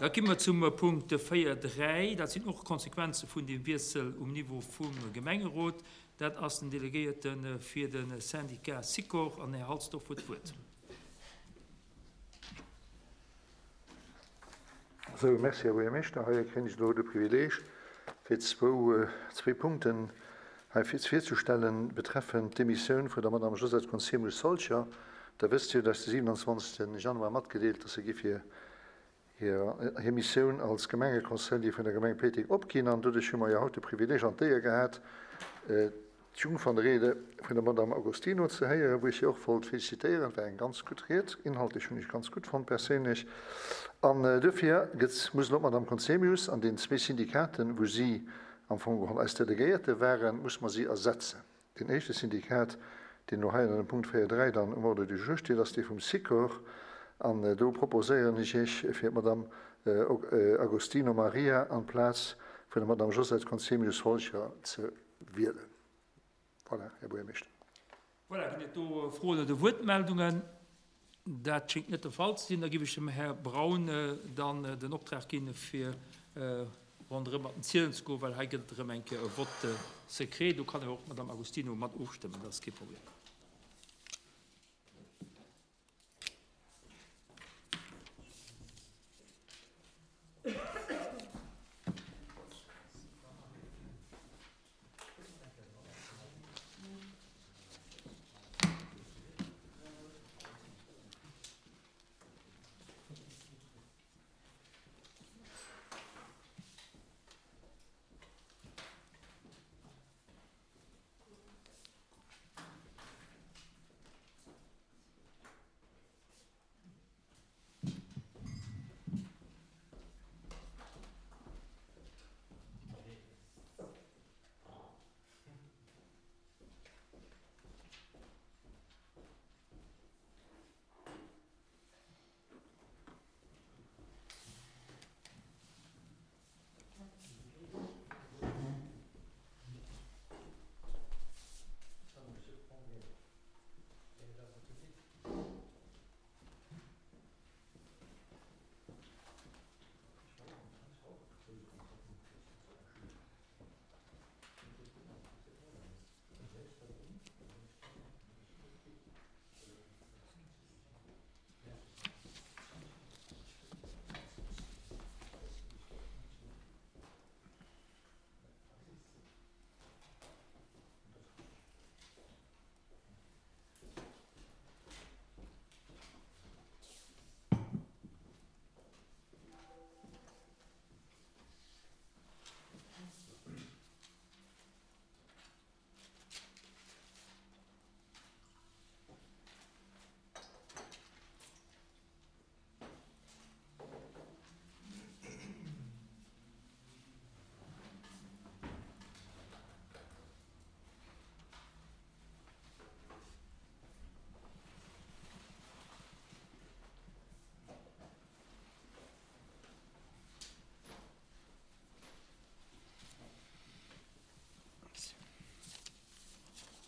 Da gi mer zum Punkt 4, 3. Dat sinn och Konsequenze vun deem Wiessel um Niveau vum Gemengerot. Dat ass den Delegéierte fir de Syndicat Sikor. An Här Halsdorf huet d'Wuert. Sou, merci, Här Buergermeeschter. Hei kréien ech elo de Privileeg, fir zwou, zwee Punkten hei virzestellen, betreffend d'Demissioun vun der Madame Josette Conzemius-Solcher. Der wësst jo, dass de 27. Januar matgedeelt, dass se géif hir, hir, hir Missioun als Gemengeconseiller vun der Gemeng Péiteng opginn. An doduerch hu mer jo haut de Privileeg an d'Éier gehat, D'Jungfernrede vun der Madame Agostino ze héieren, wou ech si och wollt félicitéieren. Et war eng ganz gutt Ried, inhaltlech hunn ech ganz gutt fonnt perséinlech. An duerfir gëtt, muss elo d'Madame Conzemius an deenen zwee Syndikaten, wou si am Fong geholl eis Delegéierte waren, muss mer si ersetzen. Deen éischte Syndikat, deen elo hei ënner dem Punkt 4, 3 dann um Ordre du jour steet, ass dee vum Sikor. An do proposéieren ech Iech, fir d'Madame Agostino Maria an d'Plaz vun der Madame Josette Conzemius-Holcher ze wielen. Voilà, Här Buergermeeschter. Voilà, ginn et do Froen oder Wuertmeldungen? Dat schéngt net de Fall ze sinn. Da géif ech dem Här Braun dann den Optrag ginn, fir ronderëm mat den Zielen ze goen, well hei gëtt et erëm eng Kéier e Vote secret. Do kann jo och d'Madame Agostino mat ofstëmmen, dat ass kee Problem.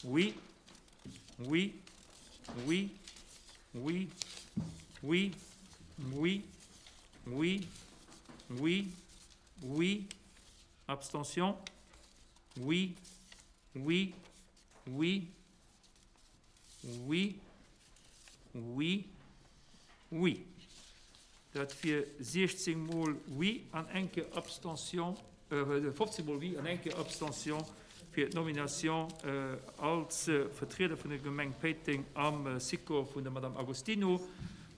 Oui, oui, oui, oui, oui, oui, oui, oui, oui, abstention, oui, oui, oui, oui, oui, oui. Dat wier 16 mol oui an eng Kéier Abstention, 15 mol oui an eng Kéier Abstention fir d'Nomination als Vertrieder vun der Gemeng Péiteng am Sikor vun der Madame Agostino.